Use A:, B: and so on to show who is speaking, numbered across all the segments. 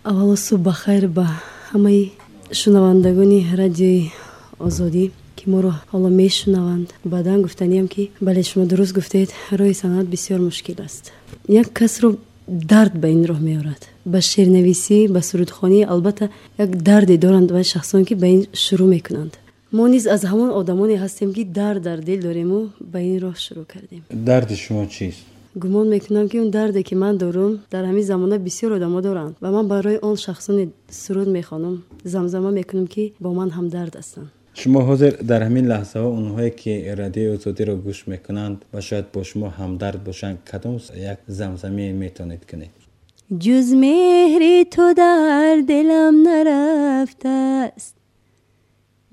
A: Аввало, субҳ бахайр ба ҳамаи шунавандагони Радиои Озодӣ, ки моро ҳоло мешунаванд. Баъдан гуфтаниям, ки бале, шумо дуруст гуфтед, роҳи санъат бисёр мушкил аст. Як касро дард ба ин роҳ меорад, ба шеърнависӣ, ба сурудхонӣ. Албатта, як дарде доранд вай шахсон, ки ба ин шурӯъ мекунанд. Мо низ аз ҳамон одамоне ҳастем, ки дард дар дил дорему ба ин роҳ шурӯъ кардем.
B: Дарди шумо чист?
A: Гумон мекунам, ки он дарде, ки ман дорам, дар ҳамин замона бисёр одамо доранд ва ман барои он шахсоне суруд мехонам, замзама мекунам, ки бо ман ҳамдард ҳастанд.
B: Шумо ҳозир дар ҳамин лаҳзаҳо онҳое, ки Радиои Озодиро гӯш мекунанд ва шояд бо шумо ҳамдард бошанд, кадом як замзаме метавонед кунед?
A: Ҷуз меҳри ту дар дилам нарафтааст,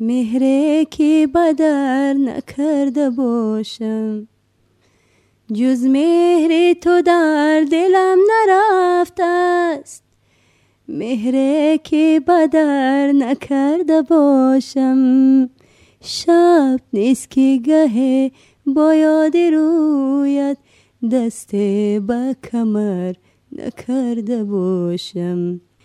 A: меҳре ки ба дар накарда бошам. Ҷуз меҳри ту дар дилам нарафтааст, меҳре ки ба дар накарда бошам. Шаб нест, ки гаҳе бо ёди рӯят дасте ба камар накарда бошам.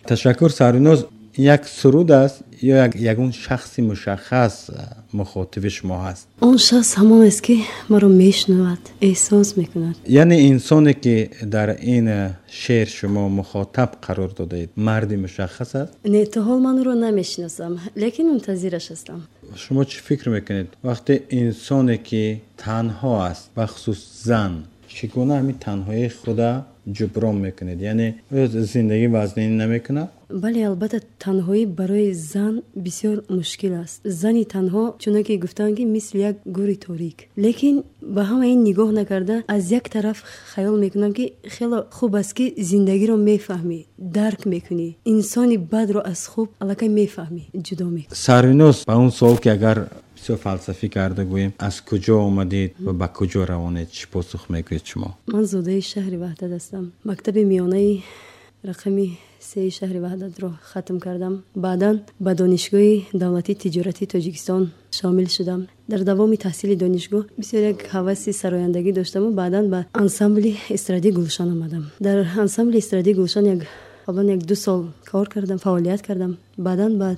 B: Ташаккур, Сарвиноз. Як суруд аст ё ягон шахси мушаххас мухотиби шумо ҳаст?
A: Он шахс ҳамон аст, ки маро мешунавад, эҳсос мекунад.
B: Яъне инсоне, ки дар ин шеър шумо мухотаб қарор додаед, марди мушаххас аст?
A: Не, то ҳол ман ӯро намешиносам, лекин мунтазираш ҳастам.
B: Шумо чӣ фикр мекунед, вақте инсоне, ки танҳо аст, бахусус зан, чӣ гуна ҳамин танҳоии худа ҷуброн мекунед? Яъне зиндагӣ вазнин намекунад?
A: Бале, албатта, танҳоӣ барои зан бисёр мушкил аст. Зани танҳо, чуноне ки гуфтанд, ки мисли як гӯри торик. Лекин ба ҳама ин нигоҳ накарда, аз як тараф хаёл мекунам, ки хело хуб аст, ки зиндагиро мефаҳмӣ, дарк мекунӣ, инсони бадро аз хуб аллакай мефаҳмӣ, ҷудо мекунӣ.
B: Сарвиноз, ба он суол, ки агар бисёр фалсафӣ карда гӯем, аз куҷо омадед ва ба куҷо равонед, чӣ посух мегӯед шумо?
A: Ман зодаи шаҳри Ваҳдат ҳастам. Мактаби миёнаи рақами сеи шаҳри Ваҳдатро хатм кардам. Баъдан ба Донишгоҳи давлатии тиҷоратии Тоҷикистон шомил шудам. Дар давоми таҳсили донишгоҳ бисёр як ҳаваси сарояндагӣ доштаму баъдан ба ансамбли эстрадии Гулшан омадам. Дар ансамбли эстрадии Гулшан як қаблан 1-2 сол кор кардам, фаъолият кардам. Баъдан ба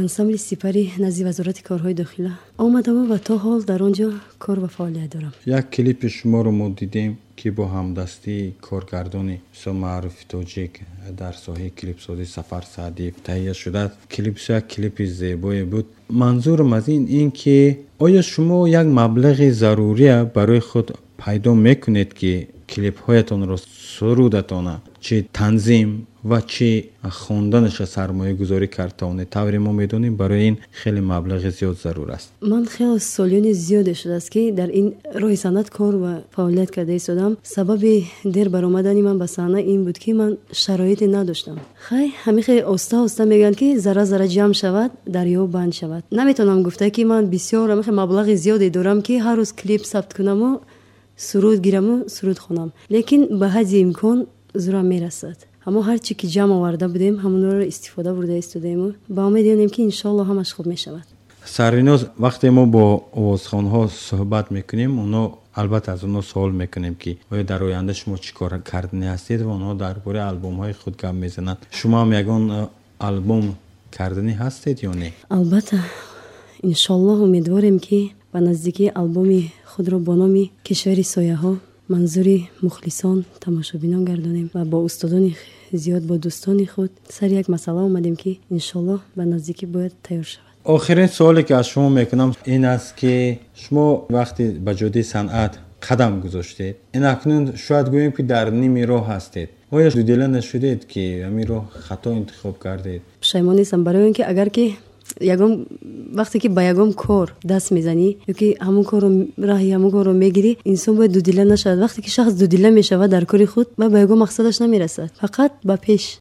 A: ансамбли Сипари назди Вазорати корҳои дохила омадаму ва то ҳол дар он ҷо кор ва фаъолият дорам.
B: Як клипи шуморо мо дидем, ки бо ҳамдастии коргардони бисёр маъруфи тоҷик дар соҳаи клипсозӣ Сафар Саъдиев таҳия шудааст. Клип бисёр як клипи зебое буд. Манзурам аз ин ки оё шумо як маблағи зарурия барои худ пайдо мекунед, ки клипҳоятонро, сурудатона, чӣ танзим ва чӣ хонданаша сармоягузорӣ кард тавонед? Тавре мо медонем, барои ин хеле маблағи зиёд зарур аст.
A: Ман хеле солиёни зиёде шудааст, ки дар ин роҳи санъат кор ва фаъолият карда истодам. Сабаби дер баромадани ман ба саҳна ин буд, ки ман шароите надоштам. Хай, ҳамин хеле оста оста, мегӯянд, ки зарра зарра ҷамъ шавад, дарё банд шавад. Наметавонам гуфта, ки ман бисёр ҳамин маблағи зиёде дорам, ки ҳар рӯз клип сабт кунаму суруд гираму суруд хонам, лекин ба ҳадди имкон зурам мерасад. Аммо ҳарчи ки ҷамъ оварда будем, ҳамонро истифода бурда истодаему ба умед ёнем, ки иншоалло ҳамаш хуб мешавад.
B: Сарвиноз, вақте мо бо овозхонҳо суҳбат мекунем, онҳо албатта, аз онҳо суол мекунем, ки оё дар оянда шумо чӣ кор карданӣ ҳастед, ва онҳо дар бораи албомҳои худ гап мезананд. Шумо ҳам ягон албом карданӣ ҳастед ё не?
A: Албатта, иншоаллоҳ, умедворем, ки ба наздикии албоми худро бо номи «Кишвари сояҳо» манзури мухлисон, тамошобинон гардонем ва бо устодони зиёд, бо дӯстони худ сари як масъала омадем, ки иншоаллоҳ ба наздикӣ бояд тайёр шавад.
B: Охирин суоле, ки аз шумо мекунам, ин аст, ки шумо вақте ба ҷодаи санъат қадам гузоштед, ин акнун шояд гӯем, ки дар ними роҳ ҳастед, оё дудила нашудед, ки ҳамин роҳ хато интихоб кардед?
A: Пушаймон нестам, барои он ки агар ки ягон вақте ки ба ягон кор даст мезанӣ ёки ҳамон корро, раҳи ҳамон корро мегирӣ, инсон бояд дудила нашавад. Вақте ки шахс дудила мешавад дар кори худ, ба ягон мақсадаш намерасад, фақат ба пеш.